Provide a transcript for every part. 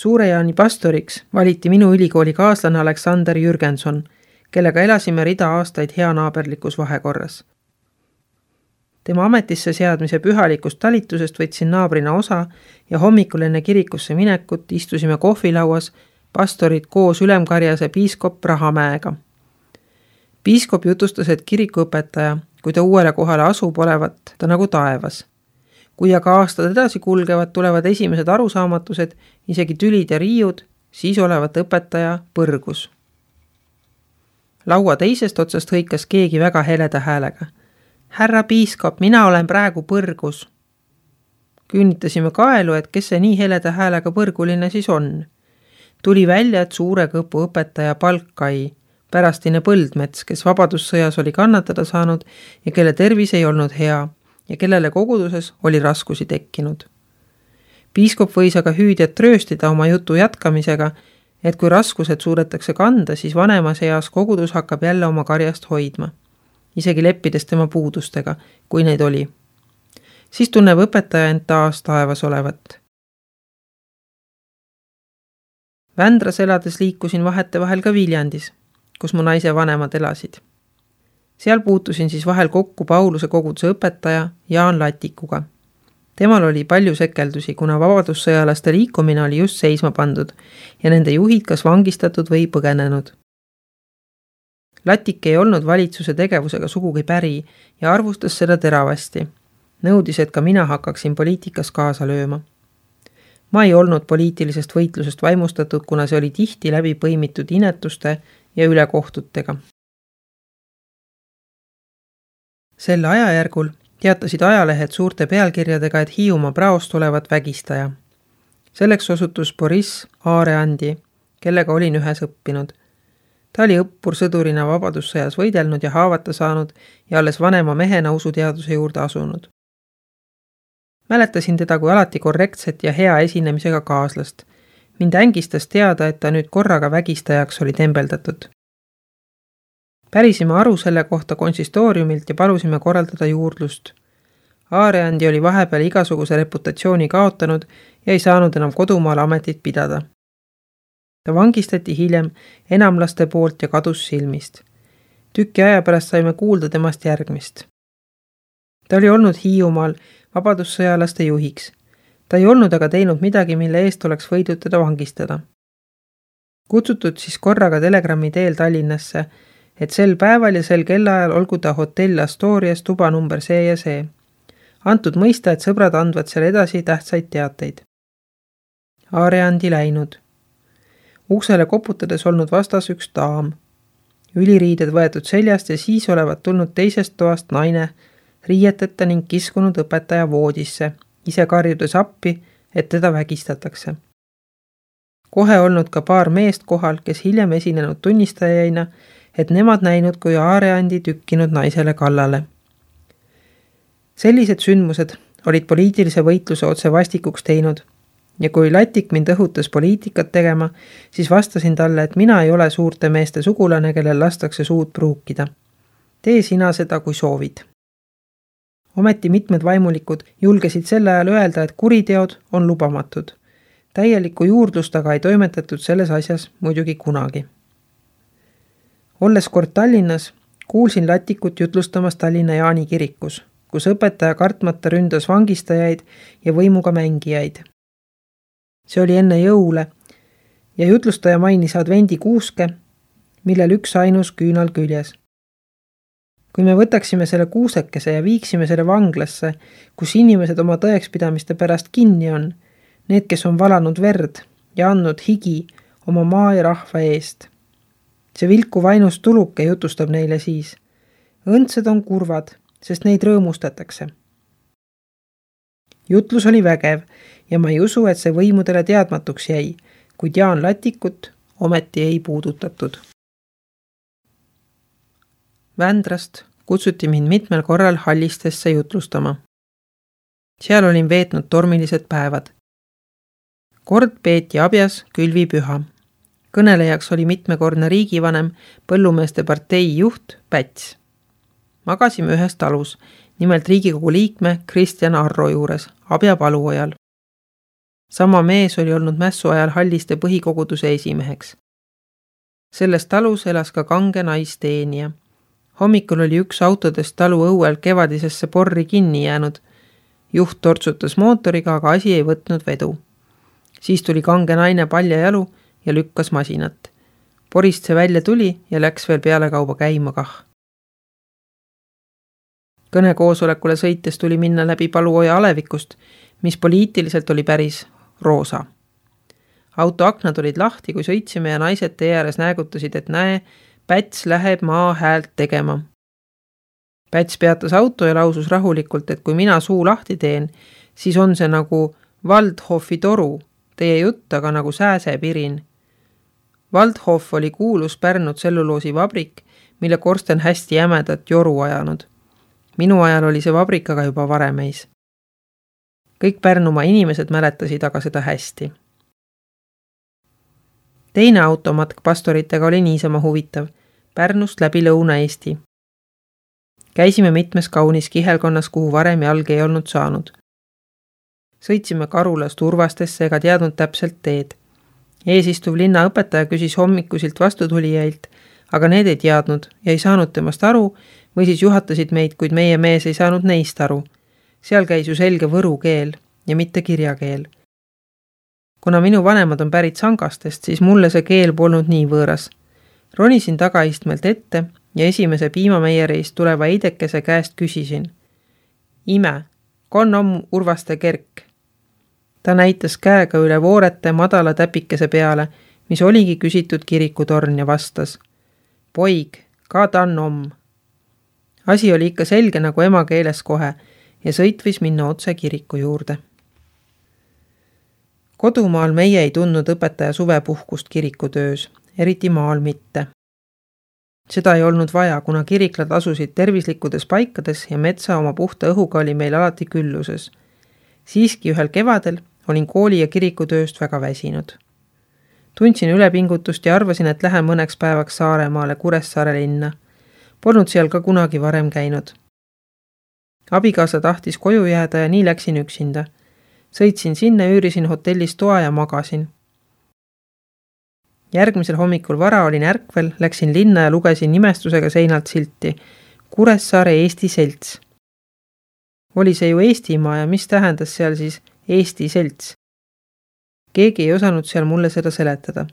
Suure Jaani pastoriks valiti minu ülikooli kaaslane Aleksander Jürgenson, kellega elasime rida aastaid heanaaberlikus vahekorras. Tema ametisse seadmise pühalikust talitusest võtsin naabrina osa ja hommikul enne kirikusse minekut istusime kohvilauas pastorid koos ülemkarjase piiskop Rahamäega. Piiskop jutustas, et kirikuõpetaja, kui ta uuele kohale asub, olevat ta nagu taevas. Kui aga aastad edasi kulgevad, tulevad esimesed arusaamatused, isegi tülid ja riiud, siis olevat õpetaja põrgus. Laua teisest otsast hõikas keegi väga heleda häälega. Härra piiskop, mina olen praegu põrgus. Künnitasime kaelu, et kes see nii heleda häälega põrguline siis on. Tuli välja, et Suure Kõpu õpetaja Palkai, pärastine Põldmets, kes vabadussõjas oli kannatada saanud ja kelle tervis ei olnud hea ja kellele koguduses oli raskusi tekkinud. Piiskop võis aga hüüdjat trööstida oma jutu jätkamisega, et kui raskused suudetakse kanda, siis vanemas eas kogudus hakkab jälle oma karjast hoidma, isegi leppides tema puudustega, kui neid oli. Siis tunneb õpetaja end taas taevas olevat. Vändras elades liikusin vahetevahel ka Viljandis, kus mu naise vanemad elasid. Seal puutusin siis vahel kokku Pauluse koguduse õpetaja Jaan Latikuga. Temal oli palju sekeldusi, kuna vabadussõjalaste liikumine oli just seisma pandud ja nende juhid kas vangistatud või põgenenud. Latik ei olnud valitsuse tegevusega sugugi päri ja arvustas seda teravasti. Nõudis, et ka mina hakkaksin poliitikas kaasa lööma. Ma ei olnud poliitilisest võitlusest vaimustatud, kuna see oli tihti läbi põimitud inetuste ja ülekohtutega. Sel ajajärgul teatasid ajalehed suurte pealkirjadega, et Hiiumaa praost olevat vägistaja. Selleks osutus Boris Aareandi, kellega olin ühes õppinud. Ta oli õppur sõdurina vabadussõjas võidelnud ja haavata saanud ja alles vanema mehena usuteaduse juurde asunud. Mäletasin teda kui alati korrektset ja hea esinemisega kaaslast. Mind ängistas teada, et ta nüüd korraga vägistajaks oli tembeldatud. Pärisime aru selle kohta konsistooriumilt ja palusime korraldada juurdlust. Aareandi oli vahepeal igasuguse reputatsiooni kaotanud ja ei saanud enam kodumaal ametit pidada. Ta vangistati hiljem enamlaste poolt ja kadus silmist. Tüki aja pärast saime kuulda temast järgmist. Ta oli olnud Hiiumaal vabadussõjalaste juhiks. Ta ei olnud aga teinud midagi, mille eest oleks võidud teda vangistada. Kutsutud siis korraga telegrammi teel Tallinnasse, et sel päeval ja sel kellaajal olgu ta hotell Astorias tuba number see ja see. Antud mõista, et sõbrad andvad seal edasi tähtsaid teateid. Aareandi läinud. Uksele koputades olnud vastas üks daam. Üliriided võetud seljast ja siis olevat tulnud teisest toast naine, riieteta ning kiskunud õpetaja voodisse, ise karjudes appi, et teda vägistatakse. Kohe olnud ka paar meest kohal, kes hiljem esinenud tunnistajaina, et nemad näinud, kui Aareandi tükkinud naisele kallale. Sellised sündmused olid poliitilise võitluse otse vastikuks teinud ja kui Latik mind õhutas poliitikat tegema, siis vastasin talle, et mina ei ole suurte meeste sugulane, kellel lastakse suud pruukida. Tee sina seda, kui soovid. Ometi mitmed vaimulikud julgesid sel ajal öelda, et kuriteod on lubamatud. Täielikku juurdlust aga ei toimetatud selles asjas muidugi kunagi. Olles kord Tallinnas, kuulsin Latikut jutlustamas Tallinna Jaani kirikus, kus õpetaja kartmata ründas vangistajaid ja võimuga mängijaid. See oli enne jõule ja jutlustaja mainis advendi kuuske, millel üks ainus küünal küljes. Kui me võtaksime selle kuusekese ja viiksime selle vanglasse, kus inimesed oma tõekspidamiste pärast kinni on, need, kes on valanud verd ja andnud higi oma maa ja rahva eest. See vilku vainus tuluke jutustab neile siis. Õndsed on kurvad, sest neid rõõmustatakse. Jutlus oli vägev ja ma ei usu, et see võimudele teadmatuks jäi, kuid Jaan Latikut ometi ei puudutatud. Vändrast kutsuti mind mitmel korral Hallistesse jutlustama. Seal olin veetnud tormilised päevad. Kord peeti abjas külvipüha. Kõnelejaks oli mitmekordne riigivanem, põllumeeste partei juht Päts. Magasime ühes talus, nimelt Riigikogu liikme Kristjan Arro juures, abja paluojal. Sama mees oli olnud mässu ajal Halliste põhikoguduse esimeheks. Selles talus elas ka kange naisteenija. Hommikul oli üks autodest talu õuel kevadisesse porri kinni jäänud. Juht tortsutas mootoriga, aga asi ei võtnud vedu. Siis tuli kange naine paljajalu ja lükkas masinat. Porist see välja tuli ja läks veel pealekauba käima kah. Kõnekoosolekule sõites tuli minna läbi Paluoja alevikust, mis poliitiliselt oli päris roosa. Auto aknad olid lahti, kui sõitsime ja naised tee ääres näägutasid, et näe, Päts läheb maa häält tegema. Päts peatas auto ja lausus rahulikult, et kui mina suu lahti teen, siis on see nagu Waldhofi toru, teie jutt aga nagu sääsepirin. Waldhof oli kuulus Pärnu tselluloosivabrik, mille korsten hästi jämedat joru ajanud. Minu ajal oli see vabrik aga juba varemeis. Kõik Pärnumaa inimesed mäletasid aga seda hästi. Teine automatk pastoritega oli niisama huvitav, Pärnust läbi Lõuna-Eesti. Käisime mitmes kaunis kihelkonnas, kuhu varem jalg ei olnud saanud. Sõitsime Karulast Urvastesse ega teadnud täpselt teed. Eesistuv linnaõpetaja küsis hommikusilt vastutulijailt, aga need ei teadnud ja ei saanud temast aru või siis juhatasid meid, kuid meie mees ei saanud neist aru. Seal käis ju selge võru keel ja mitte kirjakeel. Kuna minu vanemad on pärit Sangastest, siis mulle see keel polnud nii võõras. Ronisin tagaistmelt ette ja esimese piimameieriist tuleva eidekese käest küsisin. Ime, kon on Urvaste kerk? Ta näitas käega üle voorete madala täpikese peale, mis oligi küsitud kirikutorn ja vastas. Poig, ka tan om. Asi oli ikka selge nagu emakeeles kohe ja sõitvis minna otse kiriku juurde. Kodumaal meie ei tundnud õpetaja suvepuhkust kirikutöös, eriti maal mitte. Seda ei olnud vaja, kuna kiriklad asusid tervislikkudes paikades ja metsa oma puhta õhuga oli meil alati külluses. Siiski ühel kevadel olin kooli ja kirikutööst väga väsinud. Tundsin ülepingutust ja arvasin, et lähen mõneks päevaks Saaremaale Kuressaare linna. Polnud seal ka kunagi varem käinud. Abikaasa tahtis koju jääda ja nii läksin üksinda. Sõitsin sinna, üürisin hotellis toa ja magasin. Järgmisel hommikul vara olin ärkvel, läksin linna ja lugesin nimestusega seinalt silti. Kuressaare Eesti selts. Oli see ju Eestimaa ja mis tähendas seal siis Eesti selts? Keegi ei osanud seal mulle seda seletada.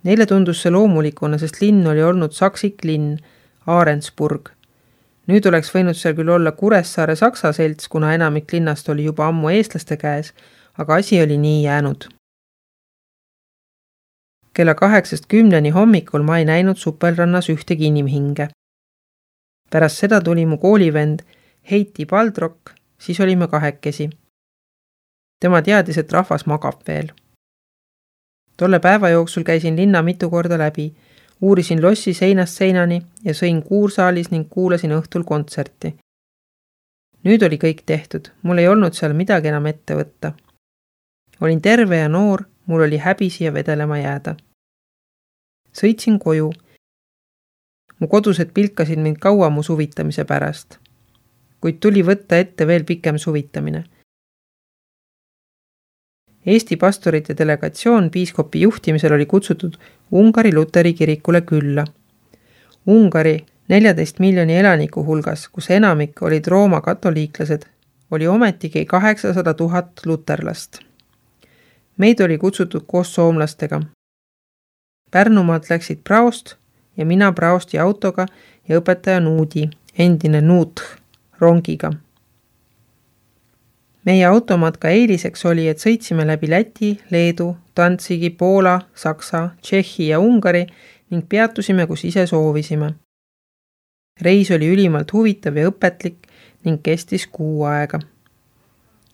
Neile tundus see loomulikuna, sest linn oli olnud saksik linn, Aarensburg. Nüüd oleks võinud seal küll olla Kuressaare saksa selts, kuna enamik linnast oli juba ammu eestlaste käes, aga asi oli nii jäänud. Kella 8:10 hommikul ma ei näinud Supelrannas ühtegi inimhinge. Pärast seda tuli mu koolivend Heiti Baldrock, siis olime kahekesi. Tema teadis, et rahvas magab veel. Tolle päeva jooksul käisin linna mitu korda läbi, uurisin lossi seinast seinani ja sõin kuursaalis ning kuulasin õhtul kontserti. Nüüd oli kõik tehtud, mul ei olnud seal midagi enam ette võtta. Olin terve ja noor, mul oli häbi siia vedelema jääda. Sõitsin koju. Mu kodused pilkasid mind kaua mu suvitamise pärast, kuid tuli võtta ette veel pikem suvitamine. Eesti pastorite delegatsioon piiskopi juhtimisel oli kutsutud Ungari Luteri kirikule külla. Ungari 14 miljoni elaniku hulgas, kus enamik olid Rooma katoliiklased, oli ometigi 800 000 luterlast. Meid oli kutsutud koos soomlastega. Pärnumaalt läksid praost ja mina praosti autoga ja õpetaja Nuudi, endine Nuut, rongiga. Meie automatka eeliseks oli, et sõitsime läbi Läti, Leedu, Dantsigi, Poola, Saksa, Tšehhi ja Ungari ning peatusime, kus ise soovisime. Reis oli ülimalt huvitav ja õpetlik ning kestis 6 aega.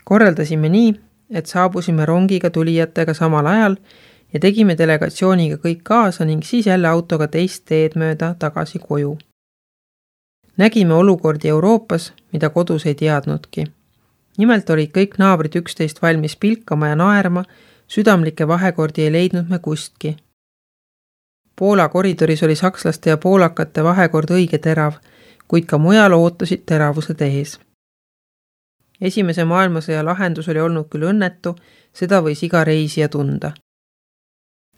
Korraldasime nii, et saabusime rongiga tulijatega samal ajal ja tegime delegatsiooniga kõik kaasa ning siis jälle autoga teist teed mööda tagasi koju. Nägime olukordi Euroopas, mida kodus ei teadnudki. Nimelt olid kõik naabrid üksteist valmis pilkama ja naerma, südamlikke vahekordi ei leidnud me kustki. Poola koridoris oli sakslaste ja poolakate vahekord õige terav, kuid ka mujal ootasid teravused ees. Esimese maailmasõja lahendus oli olnud küll õnnetu, seda võis iga reisija tunda.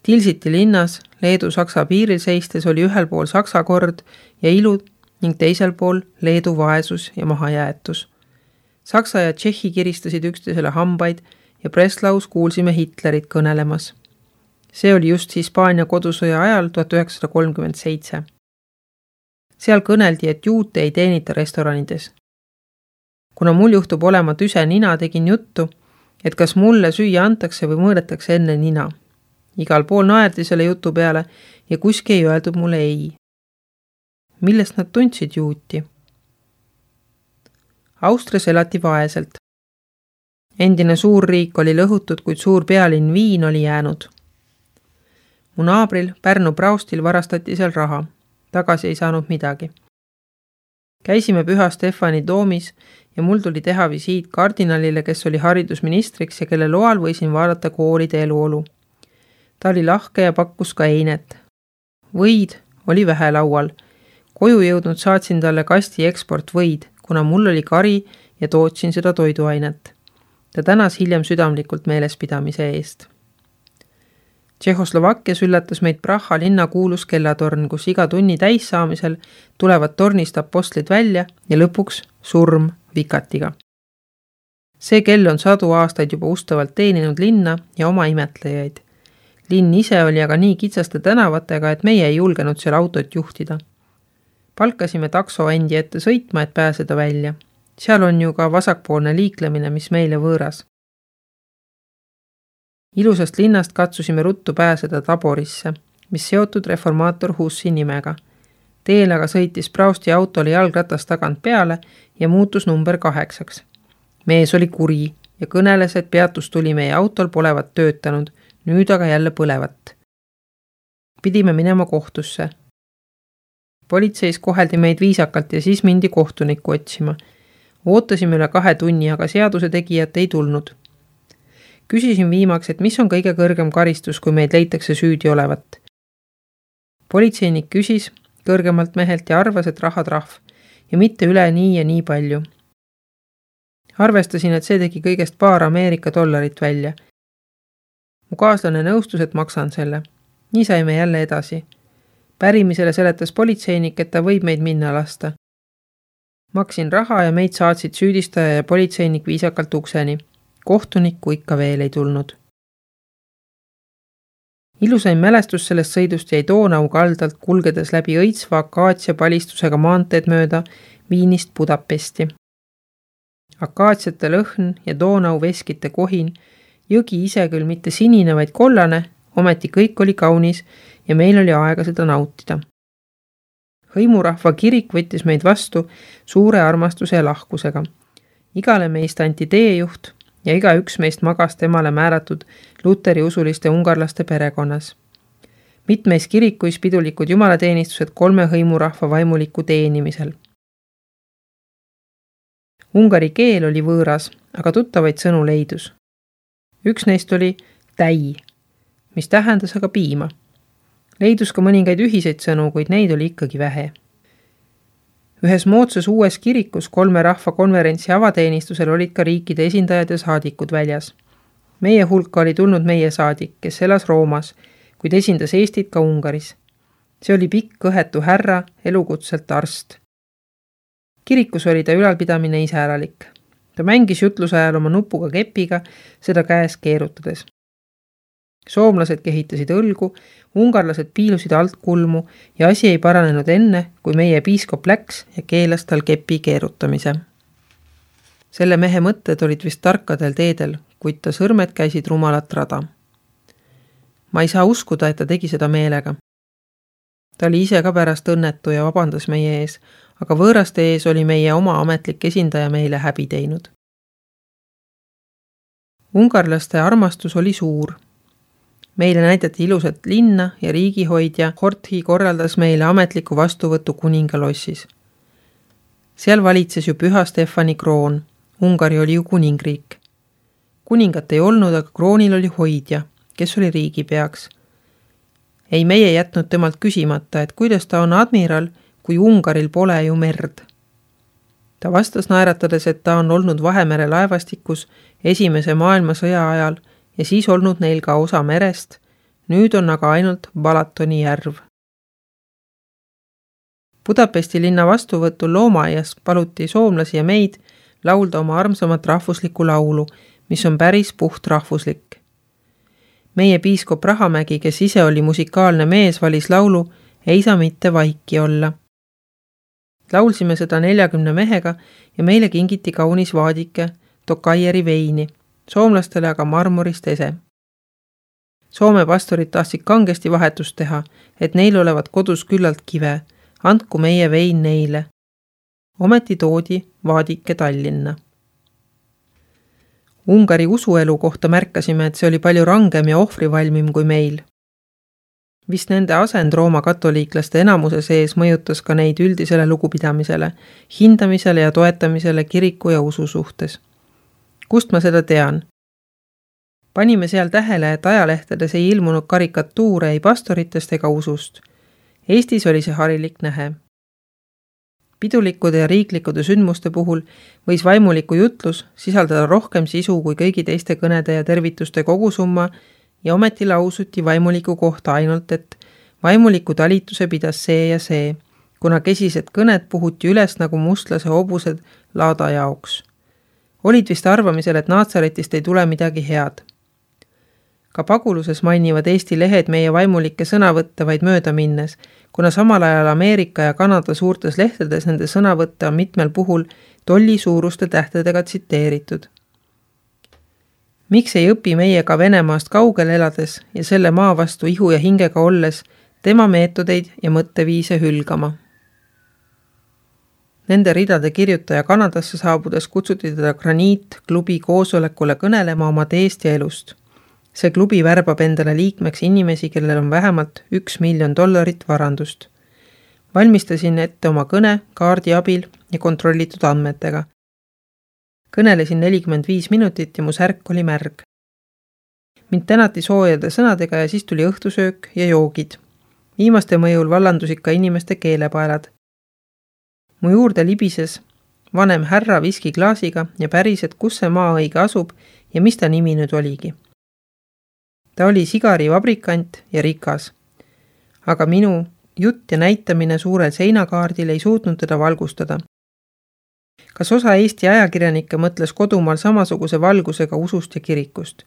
Tilsiti linnas Leedu-Saksa piiril seistes oli ühel pool Saksa kord ja ilu ning teisel pool Leedu vaesus ja mahajäetus. Saksa ja Tšehhi kiristasid üksteisele hambaid ja Breslaus kuulsime Hitlerit kõnelemas. See oli just Hispaania kodusõja ajal 1937. Seal kõneldi, et juute ei teenita restoranides. Kuna mul juhtub olema tüse nina, tegin juttu, et kas mulle süüa antakse või mõõdetakse enne nina. Igal pool naerdi selle jutu peale ja kuski ei öeldud mulle ei. Millest nad tundsid juuti? Austrias elati vaeselt. Endine suur riik oli lõhutud, kuid suur pealinn Viin oli jäänud. Mu naabril Pärnu Praustil varastati seal raha. Tagasi ei saanud midagi. Käisime Püha Stefani doomis ja mul tuli teha visiit kardinalile, kes oli haridusministriks ja kelle loal võisin vaadata koolide eluolu. Ta oli lahke ja pakkus ka einet. Võid oli vähe laual. Koju jõudnud saatsin talle kasti eksportvõid, kuna mul oli kari ja tootsin seda toiduainet. Ta tänas hiljem südamlikult meelespidamise eest. Tšehhoslovakkias üllatas meid Praha linna kuulus kellatorn, kus iga tunni täis saamisel tulevad tornist apostlid välja ja lõpuks surm vikatiga. See kell on 100 aastaid juba ustavalt teeninud linna ja oma imetlejaid. Linn ise oli aga nii kitsaste tänavatega, et meie ei julgenud seal autot juhtida. Palkasime takso endi ette sõitma, et pääseda välja. Seal on ju ka vasakpoolne liiklemine, mis meile võõras. Ilusast linnast katsusime ruttu pääseda Taborisse, mis seotud reformaator Hussi nimega. Teel aga sõitis Prausti autole jalgratas tagant peale ja muutus number 8. Mees oli kuri ja kõneles, et peatus tuli meie autol polevat töötanud, nüüd aga jälle põlevat. Pidime minema kohtusse. Politseis koheldi meid viisakalt ja siis mindi kohtunikku otsima. Ootasime üle 2 tunni, aga seaduse tegijat ei tulnud. Küsisin viimaks, et mis on kõige kõrgem karistus, kui meid leitakse süüdi olevat. Politseinik küsis kõrgemalt mehelt ja arvas, et rahatrahv ja mitte üle nii ja nii palju. Arvestasin, et see tegi kõigest paar Ameerika dollarit välja. Mu kaaslane nõustus, et maksan selle. Nii saime jälle edasi. Pärimisele seletas politseinik, et ta võib meid minna lasta. Maksin raha ja meid saatsid süüdistaja ja politseinik viisakalt ukseni. Kohtunikku ikka veel ei tulnud. Ilusain mälestus sellest sõidust jäi Donau kaldalt kulgedes läbi õitsva akaatsia palistusega maanteed mööda Viinist Budapesti. Akaatsiate lõhn ja Donau veskite kohin, jõgi ise küll mitte sinine, vaid kollane, ometi kõik oli kaunis ja meil oli aega seda nautida. Hõimurahva kirik võttis meid vastu suure armastuse ja lahkusega. Igale meist anti teejuht ja iga üks meist magas temale määratud luteri usuliste ungarlaste perekonnas. Mitmeis kirikuis pidulikud jumalateenistused 3 hõimurahva vaimuliku teenimisel. Ungari keel oli võõras, aga tuttavaid sõnu leidus. Üks neist oli täi, mis tähendas aga piima. Leidus ka mõningaid ühiseid sõnu, kuid neid oli ikkagi vähe. Ühes moodsas uues kirikus 3 rahvakonverentsi avateenistusel olid ka riikide esindajad ja saadikud väljas. Meie hulka oli tulnud meie saadik, kes elas Roomas, kuid esindas Eestit ka Ungaris. See oli pikk kõhetu härra, elukutselt arst. Kirikus oli ta ülalpidamine iseäralik. Ta mängis jutluse ajal oma nupuga kepiga, seda käes keerutades. Soomlased kehitasid õlgu, ungarlased piilusid alt kulmu ja asi ei paranenud enne, kui meie piiskop läks ja keelas tal kepi keerutamise. Selle mehe mõtted olid vist tarkadel teedel, kuid ta sõrmed käisid rumalat rada. Ma ei saa uskuda, et ta tegi seda meelega. Ta oli ise ka pärast õnnetu ja vabandas meie ees, aga võõraste ees oli meie oma ametlik esindaja meile häbi teinud. Ungarlaste armastus oli suur. Meile näidati ilusat linna ja riigihoidja Horthy korraldas meile ametliku vastuvõtu kuningalossis. Seal valitses ju Püha Stefani kroon. Ungari oli ju kuningriik. Kuningat ei olnud, aga kroonil oli hoidja, kes oli riigipeaks. Ei meie jätnud temalt küsimata, et kuidas ta on admiral, kui Ungaril pole ju merd. Ta vastas naeratades, et ta on olnud Vahemere laevastikus Esimese maailmasõja ajal ja siis olnud neil ka osa merest, nüüd on aga ainult Balatoni järv. Budapesti linna vastuvõtul loomaaias paluti soomlasi ja meid laulda oma armsamat rahvuslikku laulu, mis on päris puhtrahvuslik. Meie piiskop Rahamägi, kes ise oli musikaalne mees, valis laulu Ei saa mitte vaiki olla. Laulsime seda 40 mehega ja meile kingiti kaunis vaadike Tokaieri veini, soomlastele aga marmorist ese. Soome pastorid tahtsid kangesti vahetust teha, et neil olevat kodus küllalt kive, andku meie vein neile. Ometi toodi vaadike Tallinna. Ungari usuelu kohta märkasime, et see oli palju rangem ja ohvrivalmim kui meil. Vist nende asend Rooma katoliiklaste enamuse sees mõjutas ka neid üldisele lugupidamisele, hindamisele ja toetamisele kiriku ja usu suhtes. Kust ma seda tean? Panime seal tähele, et ajalehtedes ei ilmunud karikatuure ei pastoritest ega usust. Eestis oli see harilik nähe. Pidulikkude ja riiklikude sündmuste puhul võis vaimuliku jutlus sisaldada rohkem sisu kui kõigi teiste kõnede ja tervituste kogusumma ja ometi lausuti vaimuliku kohta ainult, et vaimuliku talituse pidas see ja see, kuna kesised kõned puhuti üles nagu mustlase hobused laada jaoks. Olid vist arvamisel, et Naatsaretist ei tule midagi head. Ka paguluses mainivad Eesti lehed meie vaimulikke sõnavõtte vaid mööda minnes, kuna samal ajal Ameerika ja Kanada suurtes lehtedes nende sõnavõtte on mitmel puhul tolli suuruste tähtedega tsiteeritud. Miks ei õpi meie ka Venemaast kaugel elades ja selle maa vastu ihu ja hingega olles tema meetodeid ja mõtteviise hülgama? Nende ridade kirjutaja Kanadasse saabudes kutsuti teda Graniit-klubi koosolekule kõnelema oma teest ja elust. See klubi värbab endale liikmeks inimesi, kellel on vähemalt $1 miljon varandust. Valmistasin ette oma kõne kaardi abil ja kontrollitud andmetega. Kõnelesin 45 minutit ja mu särk oli märg. Mind tänati soojade sõnadega ja siis tuli õhtusöök ja joogid. Viimaste mõjul vallandusid ka inimeste keelepaelad. Mu juurde libises vanem härra viskiklaasiga ja päris, et kus see maa õige asub ja mis ta nimi nüüd oligi. Ta oli sigarivabrikant ja rikas. Aga minu jutt ja näitamine suurel seinakaardil ei suutnud teda valgustada. Kas osa Eesti ajakirjanikke mõtles kodumaal samasuguse valgusega usust ja kirikust?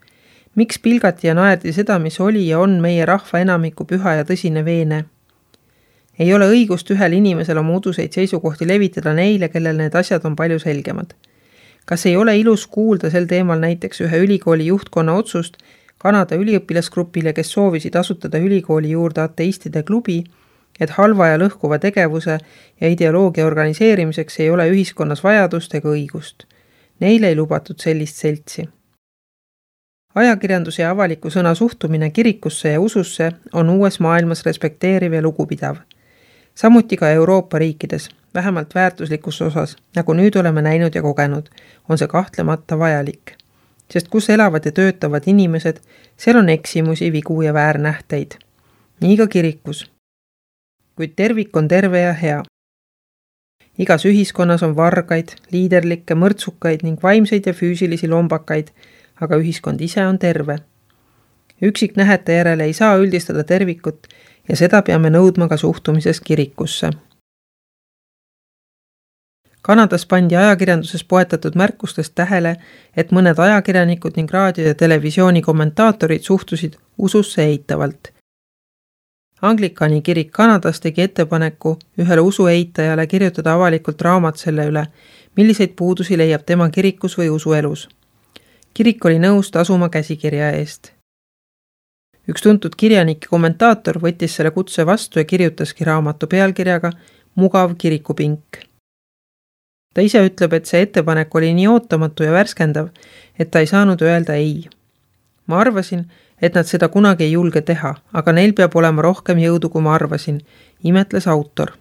Miks pilgati ja naerdi seda, mis oli ja on meie rahva enamiku püha ja tõsine veene? Ei ole õigust ühel inimesel oma uduseid seisukohti levitada neile, kellel need asjad on palju selgemad. Kas ei ole ilus kuulda sel teemal näiteks ühe ülikooli juhtkonna otsust Kanada üliõpilasgrupile, kes soovisid asutada ülikooli juurde ateistide klubi, et halva ja lõhkuva tegevuse ja ideoloogia organiseerimiseks ei ole ühiskonnas vajadust ega õigust. Neile ei lubatud sellist seltsi. Ajakirjanduse ja avaliku sõna suhtumine kirikusse ja ususse on uues maailmas respekteeriv ja lugupidav. Samuti ka Euroopa riikides, vähemalt väärtuslikus osas, nagu nüüd oleme näinud ja kogenud, on see kahtlemata vajalik. Sest kus elavad ja töötavad inimesed, seal on eksimusi, vigu ja väärnähteid. Nii ka kirikus. Kuid tervik on terve ja hea. Igas ühiskonnas on vargaid, liiderlikke, mõrtsukaid ning vaimseid ja füüsilisi lombakaid, aga ühiskond ise on terve. Üksiknähete järele ei saa üldistada tervikut ja seda peame nõudma ka suhtumises kirikusse. Kanadas pandi ajakirjanduses poetatud märkustest tähele, et mõned ajakirjanikud ning raadio- ja televisiooni kommentaatorid suhtusid ususse eitavalt. Anglikani kirik Kanadas tegi ettepaneku ühele usueitajale kirjutada avalikult raamat selle üle, milliseid puudusi leiab tema kirikus või usuelus. Kirik oli nõus tasuma käsikirja eest. Üks tuntud kirjanik ja kommentaator võttis selle kutse vastu ja kirjutaski raamatu pealkirjaga Mugav kirikupink. Ta ise ütleb, et see ettepanek oli nii ootamatu ja värskendav, et ta ei saanud öelda ei. Ma arvasin, et nad seda kunagi ei julge teha, aga neil peab olema rohkem jõudu, kui ma arvasin, imetles autor.